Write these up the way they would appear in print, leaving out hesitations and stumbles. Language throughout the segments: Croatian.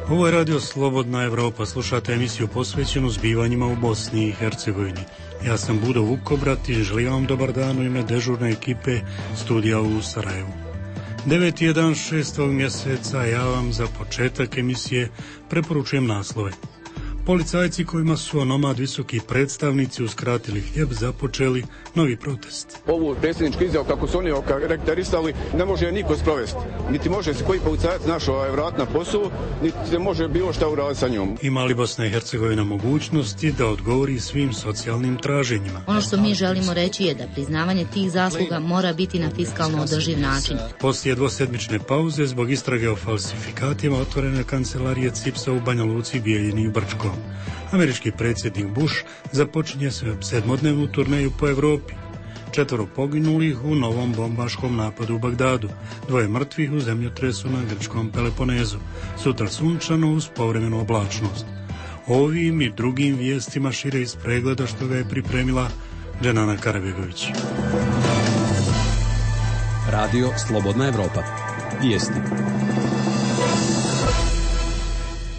Ovo je Radio Slobodna Evropa, slušate emisiju posvećenu zbivanjima u Bosni i Hercegovini. Ja sam Budo Vukobrat i želim vam dobar dan u ime dežurne ekipe studija u Sarajevu. 9. je dan 6. mjeseca, ja vam za početak emisije preporučujem naslove. Policajci kojima su onomad visoki predstavnici uskratili hljeb započeli novi protest. Ovu predsjedničku izjavu kako su oni okarakterisali ne može niko sprovesti. Niti može se koji policajac našao vrat na posao, niti se može bilo šta uraditi sa njom. Ima li Bosna i Hercegovina mogućnosti da odgovori svim socijalnim traženjima? Ono što mi želimo reći je da priznavanje tih zasluga mora biti na fiskalno održiv način. Poslije dvosedmične pauze zbog istrage o falsifikatima otvorene kancelarije CIPS-a u Banja Luci, Bijeljini i Brčkom. Američki predsjednik Bush započinje sedmodnevnu turneju po Evropi. 4 poginulih u novom bombaškom napadu u Bagdadu, 2 mrtvih u zemljotresu na grčkom Peloponezu, sutra sunčano uz povremenu oblačnost. Ovim i drugim vijestima šire iz pregleda što ga je pripremila Dženana Karabegović. Radio Slobodna Evropa. Vijesti.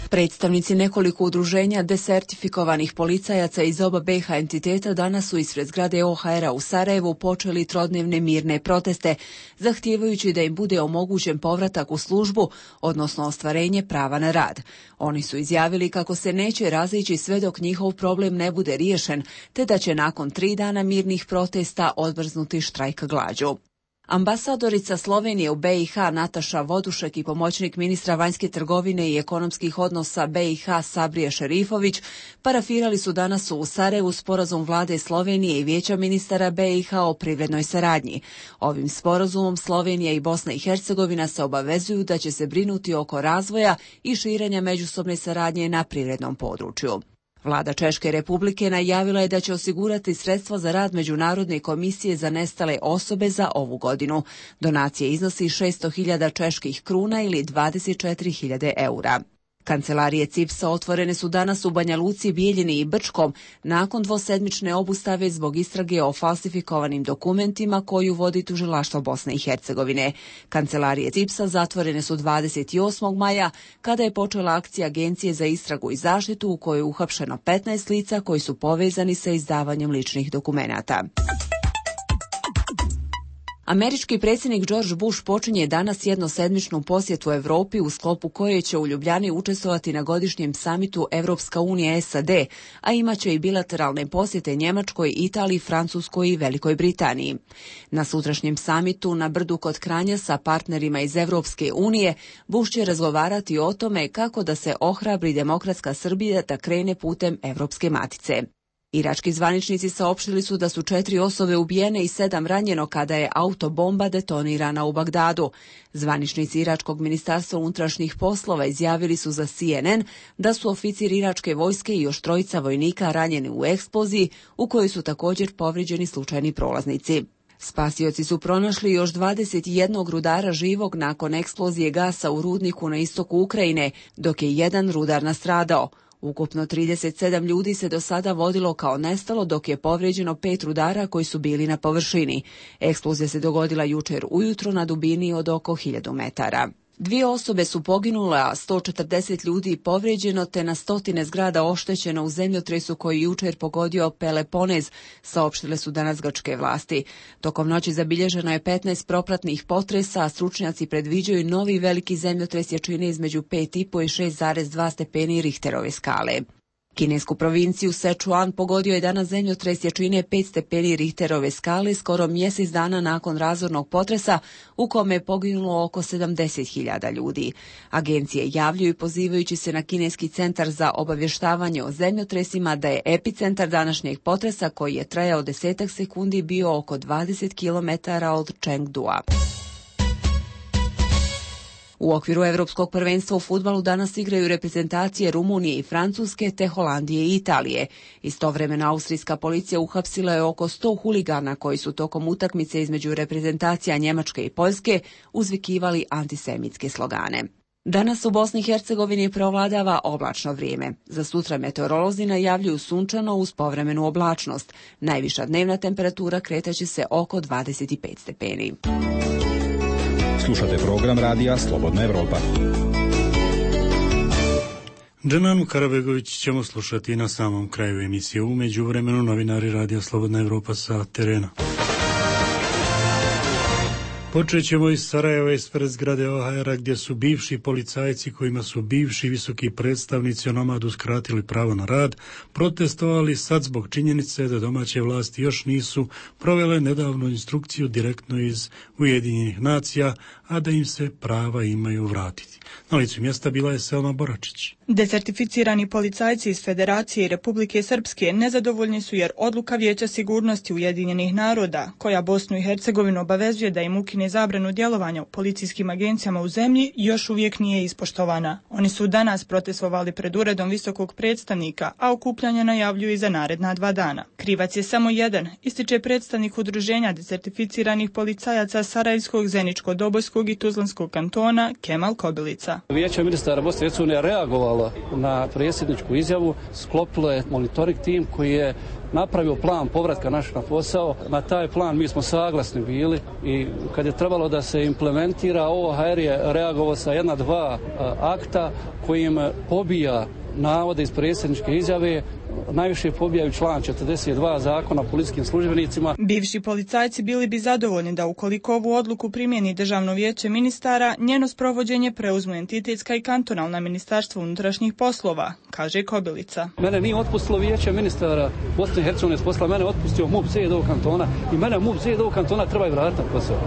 Predstavnici nekoliko udruženja desertifikovanih policajaca iz oba BiH entiteta danas su ispred zgrade OHR-a u Sarajevu počeli trodnevne mirne proteste, zahtijevajući da im bude omogućen povratak u službu, odnosno ostvarenje prava na rad. Oni su izjavili kako se neće razići sve dok njihov problem ne bude riješen, te da će nakon 3 dana mirnih protesta odmrznuti štrajk glađu. Ambasadorica Slovenije u BiH Nataša Vodušek i pomoćnik ministra vanjske trgovine i ekonomskih odnosa BiH Sabrije Šerifović parafirali su danas u Sarajevu sporazum vlade Slovenije i vijeća ministara BiH o privrednoj saradnji. Ovim sporazumom Slovenija i Bosna i Hercegovina se obavezuju da će se brinuti oko razvoja i širenja međusobne saradnje na privrednom području. Vlada Češke Republike najavila je da će osigurati sredstva za rad Međunarodne komisije za nestale osobe za ovu godinu. Donacija iznosi 600.000 čeških kruna ili 24.000 eura. Kancelarije CIPS-a otvorene su danas u Banja Luci, Bijeljini i Brčkom nakon dvosedmične obustave zbog istrage o falsifikovanim dokumentima koju vodi tužilaštvo Bosne i Hercegovine. Kancelarije CIPS-a zatvorene su 28. maja kada je počela akcija Agencije za istragu i zaštitu u kojoj je uhapšeno 15 lica koji su povezani sa izdavanjem ličnih dokumenata. Američki predsjednik George Bush počinje danas jednosedmičnu posjetu Europi u sklopu koje će u Ljubljani učestvovati na godišnjem samitu Evropska unija SAD, a imaće i bilateralne posjete Njemačkoj, Italiji, Francuskoj i Velikoj Britaniji. Na sutrašnjem samitu na Brdu kod Kranja sa partnerima iz Evropske unije Bush će razgovarati o tome kako da se ohrabri demokratska Srbija da krene putem Evropske matice. Irački zvaničnici saopštili su da su 4 osobe ubijene i 7 ranjeno kada je autobomba detonirana u Bagdadu. Zvaničnici Iračkog ministarstva unutrašnjih poslova izjavili su za CNN da su oficir iračke vojske i još 3 vojnika ranjeni u eksploziji u kojoj su također povrijeđeni slučajni prolaznici. Spasioci su pronašli još 21 rudara živog nakon eksplozije gasa u rudniku na istoku Ukrajine, dok je 1 rudar nastradao. Ukupno 37 ljudi se do sada vodilo kao nestalo, dok je povrijeđeno 5 rudara koji su bili na površini. Eksplozija se dogodila jučer ujutro na dubini od oko 1000 metara. 2 osobe su poginule, a 140 ljudi povrijeđeno te na stotine zgrada oštećeno u zemljotresu koji jučer pogodio Peloponez, saopštile su danas grčke vlasti. Tokom noći zabilježeno je 15 propratnih potresa, a stručnjaci predviđaju novi veliki zemljotres jačine između 5,5 i 6,2 stepeni Richterove skale. Kinesku provinciju Sichuan pogodio je danas zemljotres jačine 5 stepeni Richterove skale skoro mjesec dana nakon razornog potresa u kome je poginulo oko 70.000 ljudi. Agencije javljaju pozivajući se na Kineski centar za obavještavanje o zemljotresima da je epicentar današnjeg potresa koji je trajao 10 sekundi bio oko 20 km od Chengdua. U okviru Evropskog prvenstva u fudbalu danas igraju reprezentacije Rumunije i Francuske te Holandije i Italije. Istovremeno austrijska policija uhapsila je oko 100 huligana koji su tokom utakmice između reprezentacija Njemačke i Poljske uzvikivali antisemitske slogane. Danas u Bosni i Hercegovini preovladava oblačno vrijeme. Za sutra meteorolozi najavljuju sunčano uz povremenu oblačnost. Najviša dnevna temperatura kretaće se oko 25 stepeni. Slušate program radija Slobodna Evropa. Dženanu Karabegović ćemo slušati na samom kraju emisije. U međuvremenu novinari Radio Slobodna Evropa sa terena. Počet ćemo iz Sarajeva, ispred zgrade OHR-a, gdje su bivši policajci kojima su bivši visoki predstavnici onomad uskratili pravo na rad, protestovali sad zbog činjenice da domaće vlasti još nisu provele nedavnu instrukciju direktno iz Ujedinjenih nacija, a da im se prava imaju vratiti. Na licu mjesta bila je Selma Boračić. Desertificirani policajci iz Federacije i Republike Srpske nezadovoljni su jer odluka Vijeća sigurnosti Ujedinjenih naroda, koja Bosnu i Hercegovinu obavezuje da im ukine zabranu djelovanja u policijskim agencijama u zemlji, još uvijek nije ispoštovana. Oni su danas protestovali pred uredom visokog predstavnika, a okupljanje najavljuju i za naredna 2 dana. Krivac je samo jedan, ističe predstavnik udruženja desertificiranih policajaca Sarajevskog, Zeničko-Dobojskog i Tuzlanskog kantona Kemal Kobilica. Vijeće ministara Bosne i Hercegovine reagovalo na predsjedničku izjavu, sklopilo je monitoring tim koji je napravio plan povratka naših na posao. Na taj plan mi smo saglasni bili i kad je trebalo da se implementira, OHR je reagovao sa 1-2 akta kojim pobija navode iz predsjedničke izjave, najviše pobijaju član 42 zakona o policijskim službenicima. Bivši policajci bili bi zadovoljni da ukoliko ovu odluku primjeni Državno vijeće ministara, njeno sprovođenje preuzmu entitetska i kantonalna ministarstva unutrašnjih poslova, kaže Kobilica. Mene nije otpustilo Vijeće ministara Bosne i Hercegovine, mene otpustio MUP ZDO kantona i mene MUP ZDO kantona treba i vratiti na posao.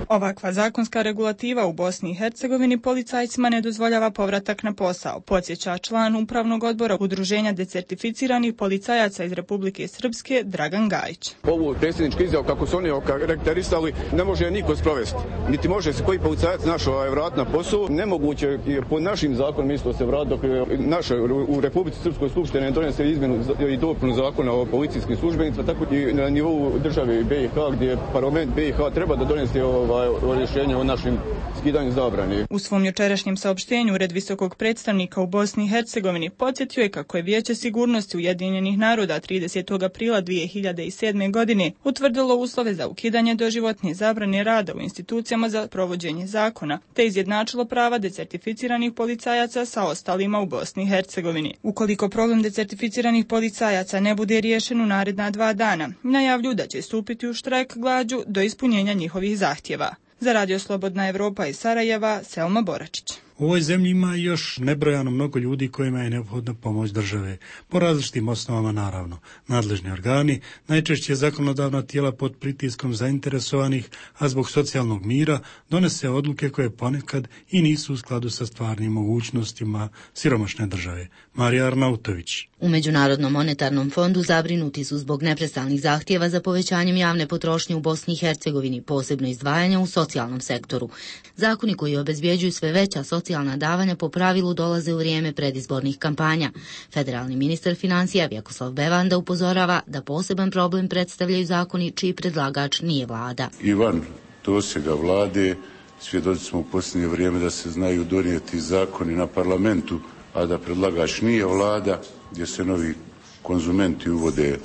Ovakva zakonska regulativa u Bosni i Hercegovini policajcima ne dozvoljava povratak na posao, podsjeća član upravnog odbora udruženja desertificiranih policajaca iz Republike Srpske Dragan Gajić. Ovu predsjedničku izjavu, kako su oni okarakterisali, ne može niko sprovesti. Niti može se koji policajac našao vratiti na posao. Nemoguće je po našim zakonom isto se vratiti dok naša u Republici Srpskoj skupštine donese izmjenu i dopunu zakona o policijskim službenicima, tako i na nivou države BiH, gdje parlament BiH treba da donese o rješenju o našim skidanju zabrani. U svom jučerašnjem saopštenju Ured visokog predstavnika u Bosni i Hercegovini podsjetio je kako je Vijeće sigurnosti Ujedinjenih naroda 30. aprila 2007. godine utvrdilo uslove za ukidanje doživotne zabrane rada u institucijama za provođenje zakona, te izjednačilo prava desertificiranih policajaca sa ostalima u Bosni i Hercegovini. Ukoliko problem desertificiranih policajaca ne bude riješen u naredna 2 dana, najavljuju da će stupiti u štrajk glađu do ispunjenja njihovih zahtjeva. Za Radio Slobodna Evropa iz Sarajeva, Selma Boračić. U ovoj zemlji ima još nebrojano mnogo ljudi kojima je neophodna pomoć države, po različitim osnovama naravno. Nadležni organi, najčešće zakonodavna tijela pod pritiskom zainteresovanih, a zbog socijalnog mira, donese odluke koje ponekad i nisu u skladu sa stvarnim mogućnostima siromašne države. Marija Arnautović. U Međunarodnom monetarnom fondu zabrinuti su zbog neprestanih zahtjeva za povećanjem javne potrošnje u Bosni i Hercegovini, posebno izdvajanja u socijalnom sektoru. Zakoni koji obezbjeđuju sve veća socijalna davanja po pravilu dolaze u vrijeme predizbornih kampanja. Federalni ministar financija Vjekoslav Bevanda upozorava da poseban problem predstavljaju zakoni čiji predlagač nije vlada. Ivan dosega vlade, svjedoci smo u posljednje vrijeme da se znaju donijeti zakoni na parlamentu, a da predlagač nije vlada, gdje se novi konzumenti uvode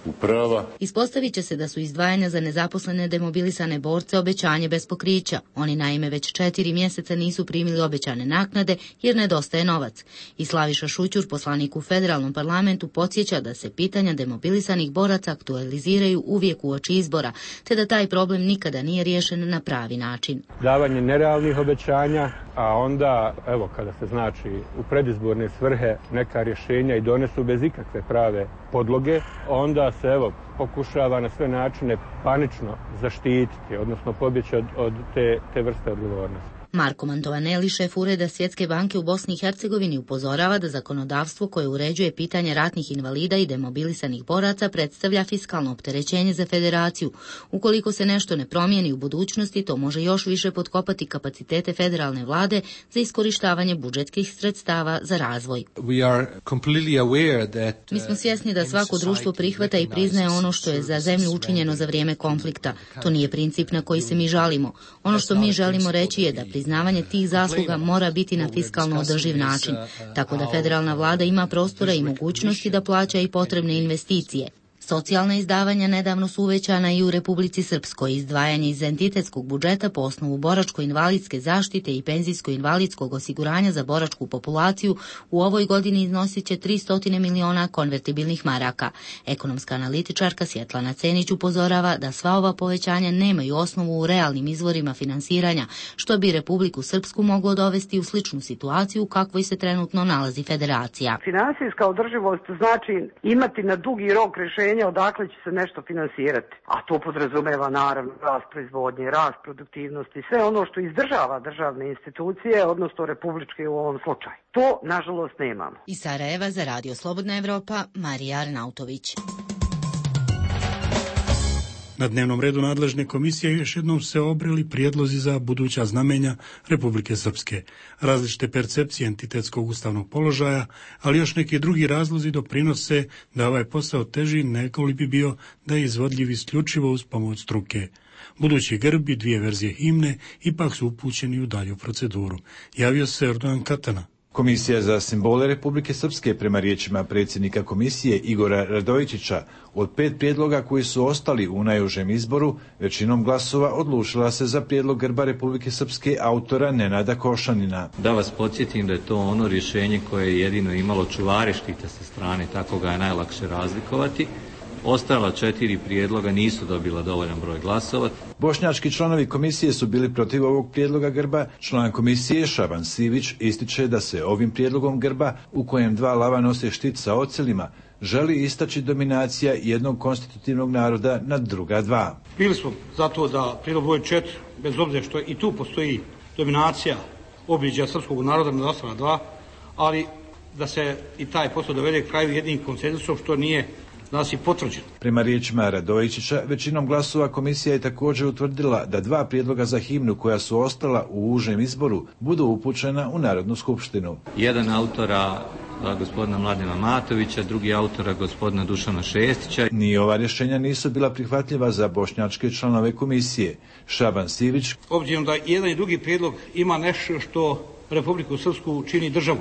u prava. Ispostavit će se da su izdvajanja za nezaposlene demobilisane borce obećanje bez pokrića. Oni naime već 4 mjeseca nisu primili obećane naknade jer nedostaje novac. I Slaviša Šućur, poslanik u federalnom parlamentu, podsjeća da se pitanja demobilisanih boraca aktualiziraju uvijek uoči izbora, te da taj problem nikada nije riješen na pravi način. Davanje nerealnih obećanja, a onda, evo, kada se znači u predizborne svrhe neka rješenja i donesu bez ikakve prave podloge, onda se, evo, pokušava na sve načine panično zaštititi, odnosno pobjeći od te vrste odgovornosti. Marko Mantovaneli, šef Ureda Svjetske banke u Bosni i Hercegovini, upozorava da zakonodavstvo koje uređuje pitanje ratnih invalida i demobilisanih boraca predstavlja fiskalno opterećenje za federaciju. Ukoliko se nešto ne promijeni u budućnosti, to može još više potkopati kapacitete federalne vlade za iskorištavanje budžetskih sredstava za razvoj. Mi smo svjesni da svako društvo prihvata i priznaje ono što je za zemlju učinjeno za vrijeme konflikta. To nije princip na koji se mi žalimo. Ono što mi želimo reći je da priznavanje tih zasluga mora biti na fiskalno održiv način, tako da federalna vlada ima prostora i mogućnosti da plaća i potrebne investicije. Socijalna izdavanja nedavno su uvećana i u Republici Srpskoj. Izdvajanje iz entitetskog budžeta po osnovu boračko-invalidske zaštite i penzijsko-invalidskog osiguranja za boračku populaciju u ovoj godini iznosit će 300 miliona konvertibilnih maraka. Ekonomska analitičarka Svjetlana Cenić upozorava da sva ova povećanja nemaju osnovu u realnim izvorima finansiranja, što bi Republiku Srpsku moglo dovesti u sličnu situaciju u kakvoj se trenutno nalazi federacija. Finansijska održivost znači imati na dugi rok rješenja odakle će se nešto finansirati. A to podrazumeva naravno rast proizvodnje, rast produktivnosti, sve ono što izdržava državne institucije, odnosno republičke u ovom slučaju. To, nažalost, nemamo. Iz Sarajeva za Radio Slobodna Evropa, Marija Arnautović. Na dnevnom redu nadležne komisije još jednom se obreli prijedlozi za buduća znamenja Republike Srpske. Različite percepcije entitetskog ustavnog položaja, ali još neki drugi razlozi doprinose da ovaj posao teži nego li bi bio da je izvodljiv isključivo uz pomoć struke. Budući grb i 2 verzije himne ipak su upućeni u dalju proceduru. Javio se Erdogan Katana. Komisija za simbole Republike Srpske, prema riječima predsjednika komisije Igora Radojičića, od 5 prijedloga koji su ostali u najužem izboru, većinom glasova odlučila se za prijedlog grba Republike Srpske autora Nenada Košanina. Da vas podsjetim da je to ono rješenje koje je jedino imalo čuvare štita sa strane, tako ga je najlakše razlikovati. Ostala 4 prijedloga nisu dobila dovoljan broj glasova. Bošnjački članovi komisije su bili protiv ovog prijedloga grba. Član komisije Šaban Sivić ističe da se ovim prijedlogom grba, u kojem 2 lava nose štit sa ocelima, želi istaći dominacija jednog konstitutivnog naroda nad druga 2. Bili smo zato da prijedlog broj 4, bez obzira što i tu postoji dominacija obilježja srpskog naroda nad ostala 2, ali da se i taj posao dovede kraju jednim konsenzusom, što nije nas i potvrđeno. Prema riječima Radojičića, većinom glasova komisija je također utvrdila da 2 prijedloga za himnu koja su ostala u užem izboru budu upućena u Narodnu skupštinu. Jedan autora gospodina Mladena Matovića, drugi autora gospodina Dušana Šestića. Ni ova rješenja nisu bila prihvatljiva za bošnjačke članove komisije. Šaban Sivić. Obzirom da jedan i drugi prijedlog ima nešto što Republiku Srpsku čini državu,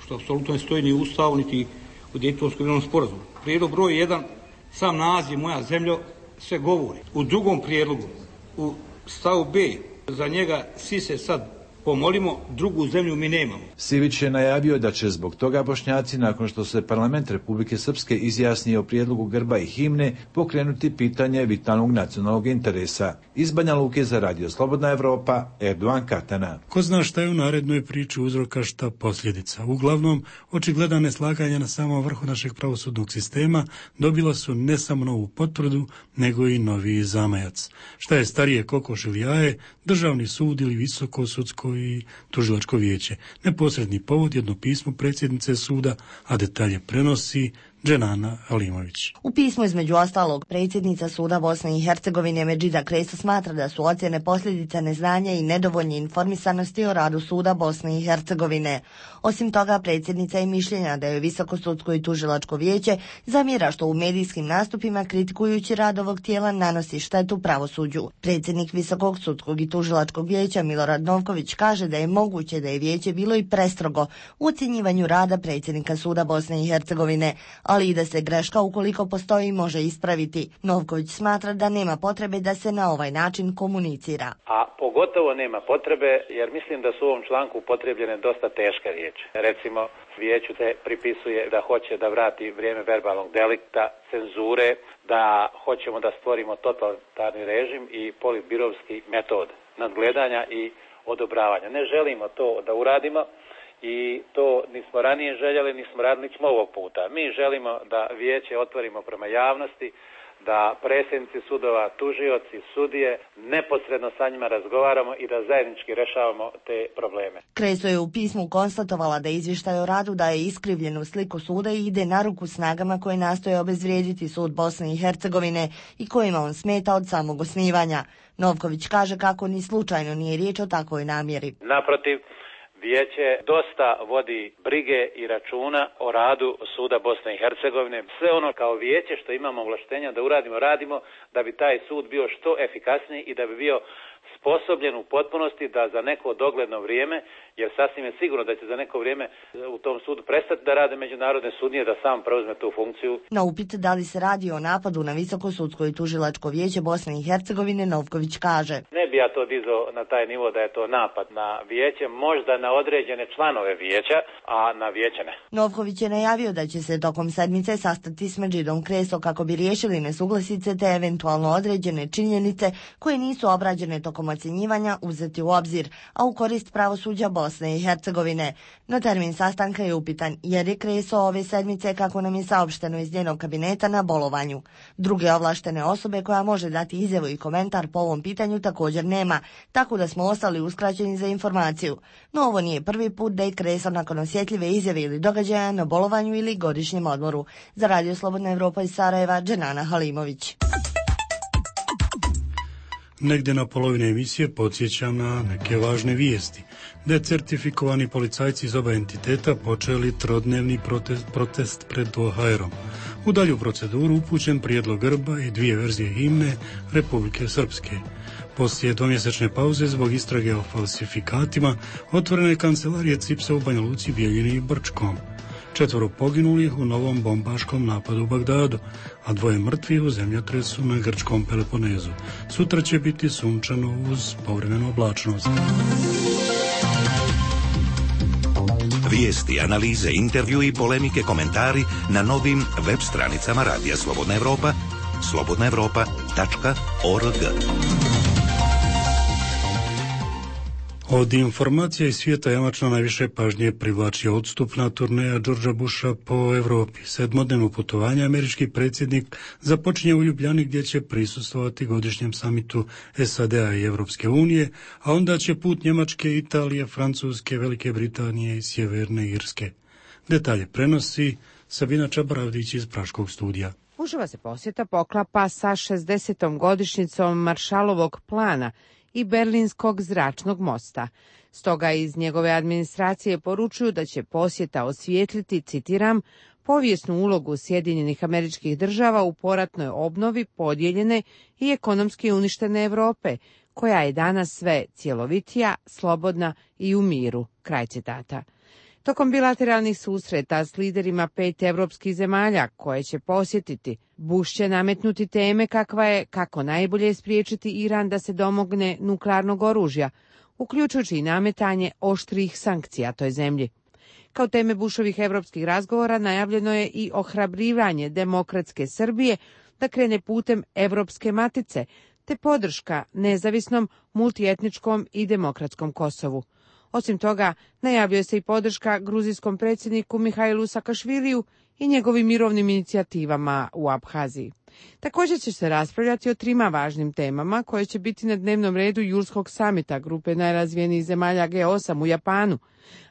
što apsolutno ne stoji ni u Ustavu, niti u Dejtonskom mirovnom sporazumu. Prijedlog broj 1, sam naziv Moja zemlja, sve govori. U drugom prijedlogu, u stavu B, za njega svi se sad pomolimo, drugu zemlju mi nemamo. Sivić je najavio da će zbog toga Bošnjaci, nakon što se parlament Republike Srpske izjasni o prijedlogu grba i himne, pokrenuti pitanje vitalnog nacionalnog interesa. Iz Banja Luke za Radio Slobodna Evropa, Erdogan Katana. Ko zna šta je u narednoj priči uzroka, šta posljedica. Uglavnom, očigledna neslaganja na samom vrhu našeg pravosudnog sistema dobila su ne samo novu potvrdu, nego i novi zamajac. Šta je starije, kokoš ili jaje, Državni sud ili Visoko sudsko i tužilačko vijeće. Neposredni povod jedno pismo predsjednice suda, a detalje prenosi Dženana Alimović. U pismu između ostalog predsjednica suda Bosne i Hercegovine Medžida Kreso smatra da su ocjene posljedica neznanja i nedovoljne informisanosti o radu suda Bosne i Hercegovine. Osim toga, predsjednica je mišljenja da je Visoko sudsko i tužilačko vijeće zamjera što u medijskim nastupima kritikujući rad ovog tijela nanosi štetu pravosuđu. Predsjednik Visokog sudskog i tužilačkog vijeća Milorad Novković kaže da je moguće da je vijeće bilo i prestrogo u ocjenjivanju rada predsjednika suda Bosne i Hercegovine, ali i da se greška ukoliko postoji može ispraviti. Novković smatra da nema potrebe da se na ovaj način komunicira. A pogotovo nema potrebe jer mislim da su u ovom članku upotrijebljene dosta teške riječi. Recimo, vijeću te pripisuje da hoće da vrati vrijeme verbalnog delikta, cenzure, da hoćemo da stvorimo totalitarni režim i politbirovski metod nadgledanja i odobravanja. Ne želimo to da uradimo. I to nismo ranije željeli, nismo radili ovog puta. Mi želimo da vijeće otvorimo prema javnosti, da predsjednici sudova, tužioci, sudije, neposredno sa njima razgovaramo i da zajednički rješavamo te probleme. Kreso je u pismu konstatovala da izvještaj o radu daje iskrivljenu sliku suda i ide na ruku snagama koje nastoje obezvrijediti sud Bosne i Hercegovine i kojima on smeta od samog osnivanja. Novković kaže kako ni slučajno nije riječ o takvoj namjeri. Naprotiv, Vijeće dosta vodi brige i računa o radu Suda Bosne i Hercegovine. Sve ono kao vijeće što imamo ovlaštenja da uradimo, radimo da bi taj sud bio što efikasniji i da bi bio sposobljen u potpunosti da za neko dogledno vrijeme, jer sasvim je sigurno da će za neko vrijeme u tom sudu prestati da rade međunarodne sudnje, da sam preuzme tu funkciju. Na upit da li se radi o napadu na Visoko sudsko i tužilačko vijeće Bosne i Hercegovine, Novković kaže: Ne bi ja to dizao na taj nivo da je to napad na vijeće, možda na određene članove vijeća, a na vijeće ne. Novković je najavio da će se tokom sedmice sastati s Medžidom Kreso kako bi riješili nesuglasice te eventualno određene činjenice koje nisu obrađene tokom ocjenjivanja uzeti u obzir, a u korist pravosuđa Bosne i Hercegovine. No termin sastanka je upitan jer je Kreso ove sedmice, kako nam je saopšteno iz njenog kabineta, na bolovanju. Druge ovlaštene osobe koja može dati izjavu i komentar po ovom pitanju također nema, tako da smo ostali uskraćeni za informaciju. No ovo nije prvi put da je Kreso nakon osjetljive izjave ili događaja na bolovanju ili godišnjem odmoru. Za Radio Slobodna Evropa iz Sarajeva, Dženana Halimović. Negdje na polovine emisije podsjećam na neke važne vijesti. Decertifikovani policajci iz oba entiteta počeli trodnevni protest pred OHR-om. U dalju proceduru upućen prijedlog grba i 2 verzije himne Republike Srpske. Poslije dvomjesečne pauze zbog istrage o falsifikatima otvorena je kancelarija CIPS-a u Banja Luci, Bijeljini i Brčkom. 4 poginulih u novom bombaškom napadu u Bagdadu, a 2 mrtvih u zemljotresu na grčkom Peloponezu. Sutra će biti sunčano uz povremenu oblačnost. Vijesti, analize, intervju i polemike, komentari na novim web stranicama Radija Slobodna Evropa, slobodnaevropa.org. Od informacija iz svijeta jamačno najviše pažnje privlači odstupna turneja Georgea Busha po Evropi. 7-dnevno putovanje američki predsjednik započinje u Ljubljani gdje će prisustvovati godišnjem samitu SAD-a i Evropske unije, a onda će put Njemačke, Italije, Francuske, Velike Britanije i Sjeverne Irske. Detalje prenosi Sabina Čabaravdić iz Praškog studija. Bushova se posjeta poklapa sa 60. godišnjicom Maršalovog plana i Berlinskog zračnog mosta. Stoga iz njegove administracije poručuju da će posjeta osvijetliti, citiram, povijesnu ulogu Sjedinjenih Američkih Država u poratnoj obnovi podijeljene i ekonomski uništene Europe, koja je danas sve cjelovitija, slobodna i u miru. Kraj citata. Tokom bilateralnih susreta s liderima 5 evropskih zemalja koje će posjetiti, Bush će nametnuti teme kakva je kako najbolje spriječiti Iran da se domogne nuklearnog oružja, uključujući i nametanje oštrih sankcija toj zemlji. Kao teme Bushovih evropskih razgovora najavljeno je i ohrabrivanje demokratske Srbije da krene putem Evropske matice, te podrška nezavisnom, multietničkom i demokratskom Kosovu. Osim toga, najavljuje se i podrška gruzijskom predsjedniku Mihajlu Sakašviliju i njegovim mirovnim inicijativama u Abhaziji. Također će se raspravljati o 3 važnim temama koje će biti na dnevnom redu Julskog samita grupe najrazvijenijih zemalja G8 u Japanu,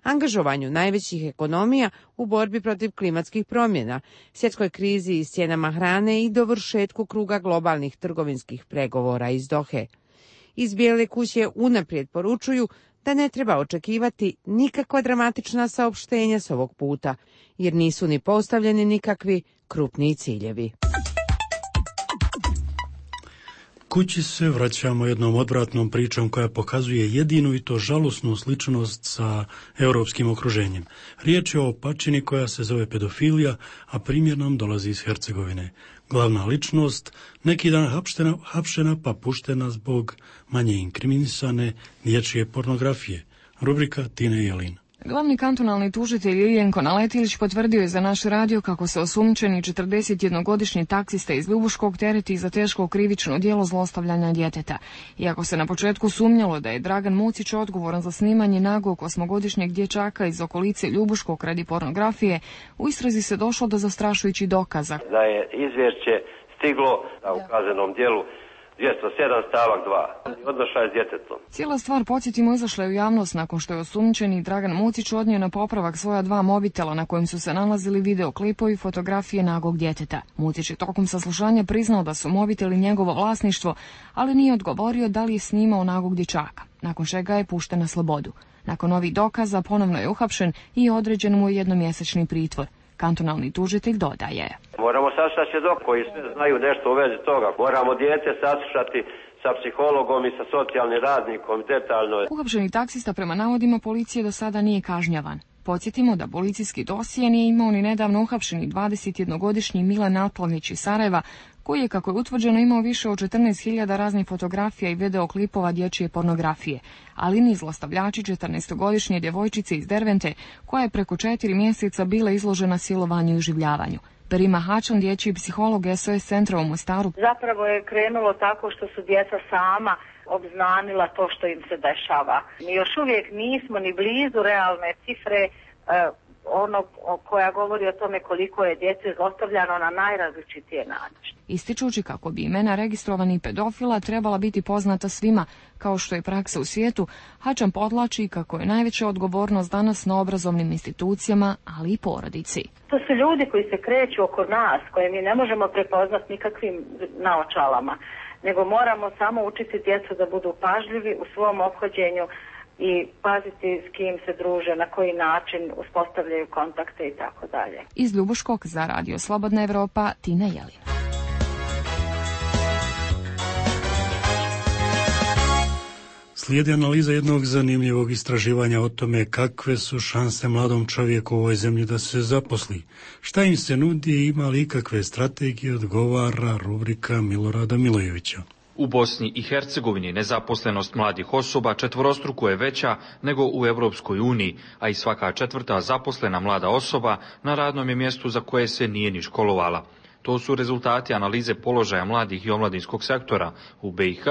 angažovanju najvećih ekonomija u borbi protiv klimatskih promjena, svjetskoj krizi i s cijenama hrane i dovršetku kruga globalnih trgovinskih pregovora iz Dohe. Iz Bijele kuće unaprijed poručuju da ne treba očekivati nikakva dramatična saopštenja s ovog puta, jer nisu ni postavljeni nikakvi krupniji ciljevi. Kući se vraćamo jednom odvratnom pričom koja pokazuje jedinu i to žalosnu sličnost sa europskim okruženjem. Riječ je o opačini koja se zove pedofilija, a primjer nam dolazi iz Hercegovine. Glavna ličnost neki dan hapšena pa puštena zbog manje inkriminisane dječje pornografije. Rubrika Tine Jelin. Glavni kantonalni tužitelj Iljenko Naletilić potvrdio je za naš radio kako se osumnjičeni 41-godišnji taksista iz Ljubuškog tereti za teško krivično djelo zlostavljanja djeteta. Iako se na početku sumnjalo da je Dragan Mucić odgovoran za snimanje nagog 8-godišnjeg dječaka iz okolice Ljubuškog radi pornografije, u istrazi se došlo do zastrašujućih dokaza. Da je izvješće stiglo u kaznenom djelu 207 stavak 2. Odnošaj s djetetom. Cijela stvar, podsjetimo, izašla je u javnost nakon što je osumnjičeni Dragan Mucić odnio na popravak svoja 2 mobitela na kojim su se nalazili videoklipovi i fotografije nagog djeteta. Mucić je tokom saslušanja priznao da su mobiteli njegovo vlasništvo, ali nije odgovorio da li je snimao nagog dječaka, nakon čega je pušten na slobodu. Nakon ovih dokaza ponovno je uhapšen i određen mu je jednomjesečni pritvor. Kantonalni tužitelj dodaje: Moramo saslušati svjedoke koji sve znaju nešto u vezi toga. Moramo dijete saslušati sa psihologom i sa socijalnim radnikom detaljno. Uhapšeni taksista prema navodima policije do sada nije kažnjavan. Podsjetimo da policijski dosije nije imao ni nedavno uhapšeni 21-godišnji Milan Altavnić iz Sarajeva, koji je, kako je utvrđeno, imao više od 14.000 raznih fotografija i videoklipova dječje pornografije, ali ni zlostavljači 14-godišnje djevojčice iz Dervente, koja je preko 4 mjeseca bila izložena silovanju i uživljavanju. Perima Hačan, dječji psiholog SOS centra u Mostaru. Zapravo je krenulo tako što su djeca sama obznanila to što im se dešava. Mi još uvijek nismo ni blizu realne cifre koja govori o tome koliko je djece zlostavljano na najrazličitije načine. Ističući kako bi imena registrovanih pedofila trebala biti poznata svima, kao što je praksa u svijetu, Hačan podlači kako je najveća odgovornost danas na obrazovnim institucijama, ali i porodici. To su ljudi koji se kreću oko nas, koje mi ne možemo prepoznati nikakvim naočalama, nego moramo samo učiti djecu da budu pažljivi u svom ophođenju i paziti s kim se druže, na koji način uspostavljaju kontakte i tako dalje. Iz Ljubuškog za Radio Slobodna Evropa, Tina Jelin. Slijedi analiza jednog zanimljivog istraživanja o tome kakve su šanse mladom čovjeku u ovoj zemlji da se zaposli. Šta im se nudi i ima li ikakve strategije, odgovara rubrika Milorada Milojevića. U Bosni i Hercegovini nezaposlenost mladih osoba četvorostruko je veća nego u Europskoj uniji, a i svaka 4. zaposlena mlada osoba na radnom je mjestu za koje se nije ni školovala. To su rezultati analize položaja mladih i omladinskog sektora u BiH,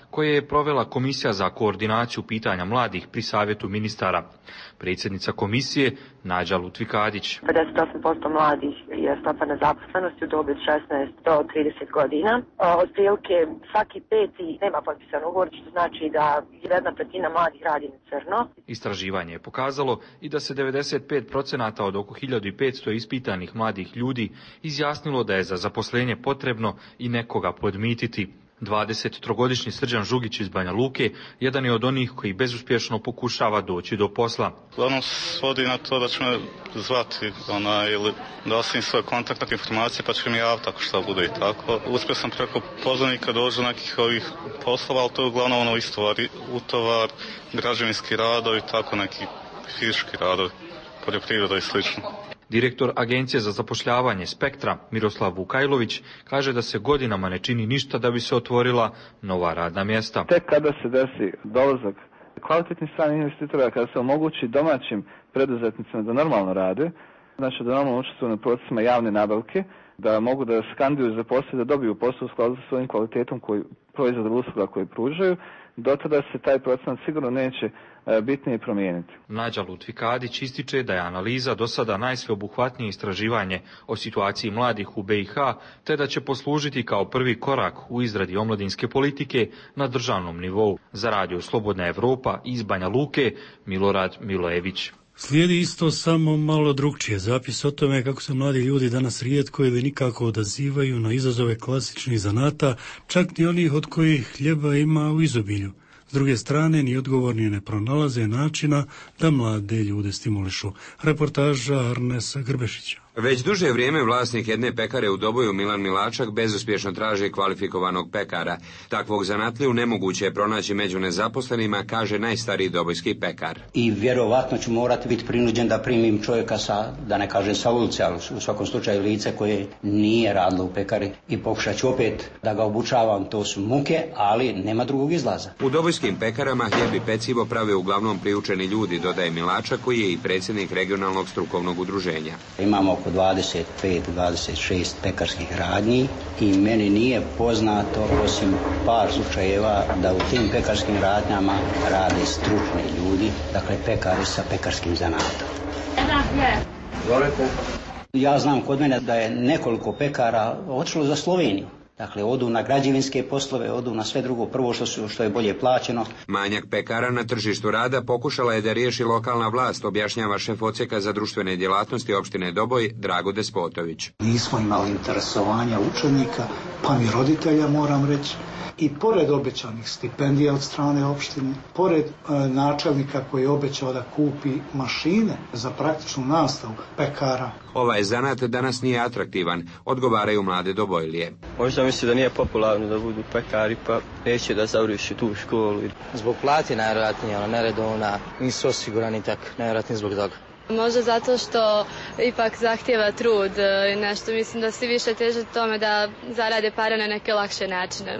koje je provela Komisija za koordinaciju pitanja mladih pri Savjetu ministara. Predsjednica komisije, Nađa Lutvikadić. 58% mladih je stopa nezaposlenosti u dobi od 16 do 30 godina. Otprilike svaki 5. nema potpisan ugovor, što znači da 1/5 mladih radi na crno. Istraživanje je pokazalo i da se 95% od oko 1500 ispitanih mladih ljudi izjasnilo da je za zaposlenje potrebno i nekoga podmititi. 23-godišnji Srđan Žugić iz Banja Luke jedan je od onih koji bezuspješno pokušava doći do posla. Uglavnom svodi na to da će me zvati ili da osim svoje kontaktne informacije pa će mi javiti ako šta bude i tako. Uspio sam preko poznanika doći do nekih ovih poslova, ali to je uglavnom utovar, građevinski radovi, tako neki fizički radovi, poljoprivreda i slično. Direktor Agencije za zapošljavanje Spektra, Miroslav Vukajlović, kaže da se godinama ne čini ništa da bi se otvorila nova radna mjesta. Tek kada se desi dolazak kvalitetnih stranih investitora, kada se omogući domaćim preduzetnicima da normalno rade, znači da normalno učestvuju na procesima javne nabavke, da mogu da skanduju za posao, da dobiju posao u skladu sa svojim kvalitetom proizvoda usluga koje pružaju, do tada se taj procenat sigurno neće bitnije promijeniti. Nađa Lutvikadić ističe da je analiza do sada najsveobuhvatnije istraživanje o situaciji mladih u BiH, te da će poslužiti kao prvi korak u izradi omladinske politike na državnom nivou. Za Radio Slobodna Evropa iz Banja Luke, Milorad Milojević. Slijedi isto samo malo drugčije zapis o tome kako se mladi ljudi danas rijetko ili nikako odazivaju na izazove klasičnih zanata, čak ni onih od kojih hljeba ima u izobilju. S druge strane, ni odgovorni ne pronalaze načina da mlade ljude stimulišu. Reportaža Arnesa Grbešića. Već duže vrijeme vlasnik jedne pekare u Doboju, Milan Milačak, bezuspješno traži kvalifikovanog pekara. Takvog zanatliju nemoguće je pronaći među nezaposlenima, kaže najstariji dobojski pekar. I vjerovatno ću morati biti prinuđen da primim čovjeka sa, da ne kažem sa ulice, ali u svakom slučaju lice koje nije radilo u pekari i pokušat ću opet da ga obučavam, to su muke, ali nema drugog izlaza. U dobojskim pekarama hljeb i pecivo prave uglavnom priučeni ljudi, dodaje Milačak, koji je i predsjednik regionalnog strukovnog udruženja. Imamo oko 25-26 pekarskih radnji i meni nije poznato, osim par slučajeva, da u tim pekarskim radnjama rade stručni ljudi, dakle pekari sa pekarskim zanatom. Ja znam kod mene da je nekoliko pekara otišlo za Sloveniju. Dakle, odu na građevinske poslove, odu na sve drugo, prvo što je bolje plaćeno. Manjak pekara na tržištu rada pokušala je da riješi lokalna vlast, objašnjava šef odsjeka za društvene djelatnosti opštine Doboj, Drago Despotović. Nismo imali interesovanja učenika, pa ni roditelja, moram reći. I pored obećanih stipendija od strane opštine, pored načelnika koji je obećao da kupi mašine za praktičnu nastavu pekara. Ovaj zanat danas nije atraktivan, odgovaraju mlade Dobojlije. Možda misli da nije popularno da budu pekari, pa neće da završi tu školu. Zbog plati najvjerojatnije, neredovna, nisu osigurani tak, najvjerojatnije zbog toga. Možda zato što ipak zahtjeva trud i nešto, mislim da svi više teže tome da zarade pare na neke lakše načine.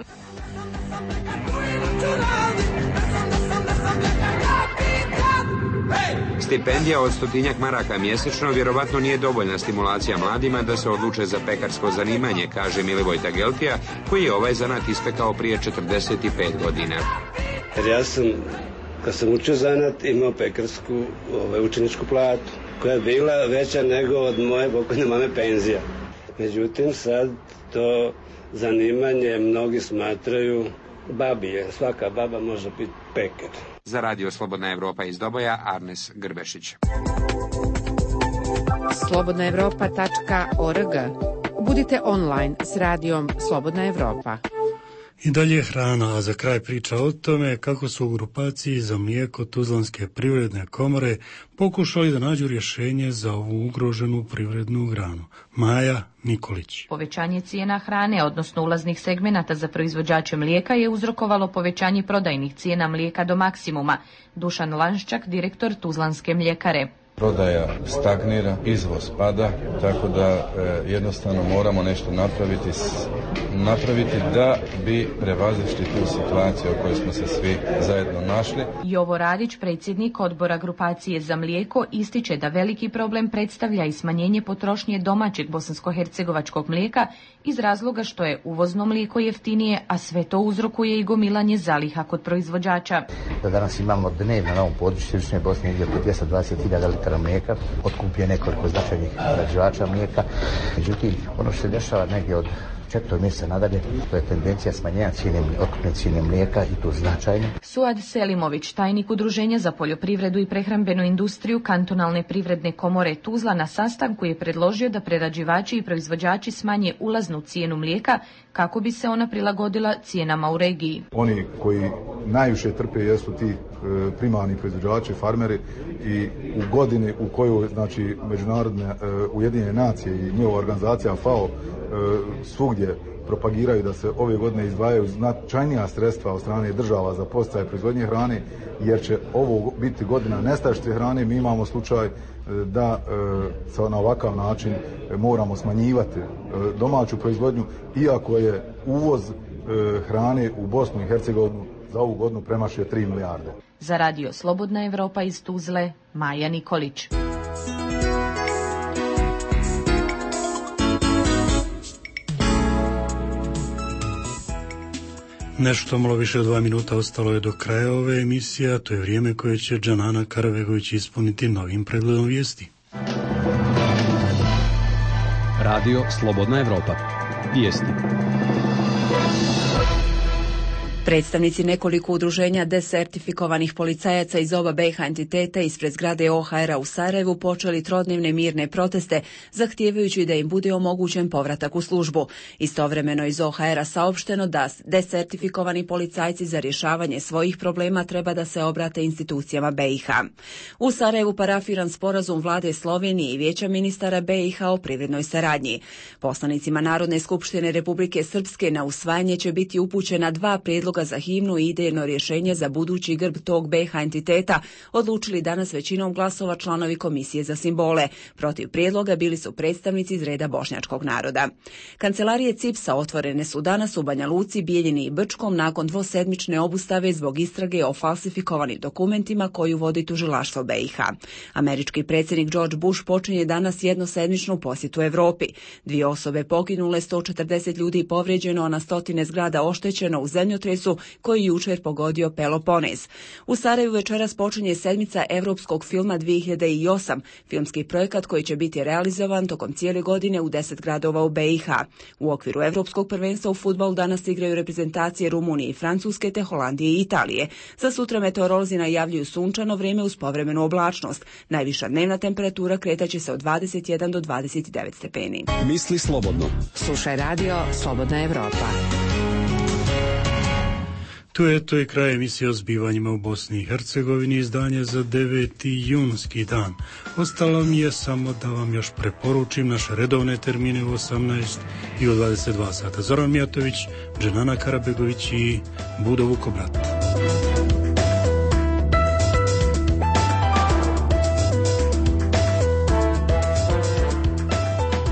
Stipendija od 100 maraka mjesečno vjerovatno nije dovoljna stimulacija mladima da se odluče za pekarsko zanimanje, kaže Milivoj Tageltija, koji je ovaj zanat ispekao prije 45 godina. Jer ja sam, kad sam učio zanat, imao pekarsku učeničku platu, koja je bila veća nego od moje pokojne mame penzija. Međutim, sad to zanimanje mnogi smatraju babije. Svaka baba može biti pekar. Za Radio Slobodna Evropa iz Doboja, Arnes Grbešić. slobodnaevropa.org. Budite online s radijom Slobodna Evropa. I dalje hrana, a za kraj priča o tome kako su u grupaciji za mlijeko Tuzlanske privredne komore pokušali da nađu rješenje za ovu ugroženu privrednu granu. Maja Nikolić. Povećanje cijena hrane, odnosno ulaznih segmenata za proizvođače mlijeka, je uzrokovalo povećanje prodajnih cijena mlijeka do maksimuma. Dušan Lanščak, direktor Tuzlanske mljekare. Prodaja stagnira, izvoz pada, tako da jednostavno moramo nešto napraviti da bi prevazišli tu situaciju u kojoj smo se svi zajedno našli. Jovo Radić, predsjednik odbora grupacije za mlijeko, ističe da veliki problem predstavlja i smanjenje potrošnje domaćeg bosansko-hercegovačkog mlijeka iz razloga što je uvozno mlijeko jeftinije, a sve to uzrokuje i gomilanje zaliha kod proizvođača. Da danas imamo dnevno na ovom području Istočne Bosne negdje oko 220.000 litara mlijeka, otkupuje nekoliko značajnih prerađivača mlijeka. Međutim, ono što se dešava negdje od 4. mjeseca nadalje, to je tendencija smanjenja otkupne cijene mlijeka i to značajno. Suad Selimović, tajnik Udruženja za poljoprivredu i prehrambenu industriju Kantonalne privredne komore Tuzla, na sastanku je predložio da prerađivači i proizvođači smanje ulaznu cijenu mlijeka kako bi se ona prilagodila cijenama u regiji. Oni koji najviše trpe jesu ti primarni proizvođači, farmeri, i u godini u kojoj, znači, međunarodne Ujedinjene nacije i njihova organizacija FAO svugdje propagiraju da se ove godine izdvajaju značajnija sredstva od strane država za podsticaje proizvodnje hrane, jer će ovo biti godina nestašice hrane. Mi imamo slučaj da na ovakav način moramo smanjivati domaću proizvodnju, iako je uvoz hrane u Bosnu i Hercegovinu za ovu godinu premašio 3 milijarde. Za Radio Slobodna Evropa iz Tuzle, Maja Nikolić. Nešto malo više od 2 minuta ostalo je do kraja ove emisije, a to je vrijeme koje će Džanana Karavegović ispuniti novim pregledom vijesti. Radio Slobodna Evropa. Vijesti. Predstavnici nekoliko udruženja desertifikovanih policajaca iz oba BiH entiteta ispred zgrade OHR-a u Sarajevu počeli trodnevne mirne proteste, zahtijevajući da im bude omogućen povratak u službu. Istovremeno iz OHR-a saopšteno da desertifikovani policajci za rješavanje svojih problema treba da se obrate institucijama BiH. U Sarajevu parafiran sporazum vlade Slovenije i Vijeća ministara BiH o privrednoj saradnji. Poslanicima Narodne skupštine Republike Srpske na usvajanje će biti upućena 2 prijedloga za himnu i idejno rješenje za budući grb tog BiH entiteta, odlučili danas većinom glasova članovi Komisije za simbole. Protiv prijedloga bili su predstavnici iz reda bošnjačkog naroda. Kancelarije CIPS-a otvorene su danas u Banja Luci, Bijeljini i Brčkom nakon dvosedmične obustave zbog istrage o falsifikovanim dokumentima koju vodi tužilaštvo BiH. Američki predsjednik George Bush počinje danas jednosedmičnu posjetu Evropi. 2 osobe poginule, 140 ljudi povrijeđeno, a na stotine zgrada oštećeno u zemljotresu Srebrenicu, koji jučer pogodio Peloponez. U Sarajevu večeras počinje sedmica Evropskog filma 2008, filmski projekat koji će biti realizovan tokom cijele godine u 10 gradova u BiH. U okviru Evropskog prvenstva u fudbalu danas igraju reprezentacije Rumunije i Francuske te Holandije i Italije. Za sutra meteorolozi najavljuju sunčano vrijeme uz povremenu oblačnost. Najviša dnevna temperatura kretaće se od 21 do 29 stepeni. Misli slobodno. Slušaj radio Slobodna Evropa. Tu je to i kraj emisije o zbivanjima u Bosni i Hercegovini, izdanje za 9. junski dan. Ostalo mi je samo da vam još preporučim naše redovne termine u 18 i u 22 sata. Zoran Mijatović, Dženana Karabegović i Budo Vukobrat.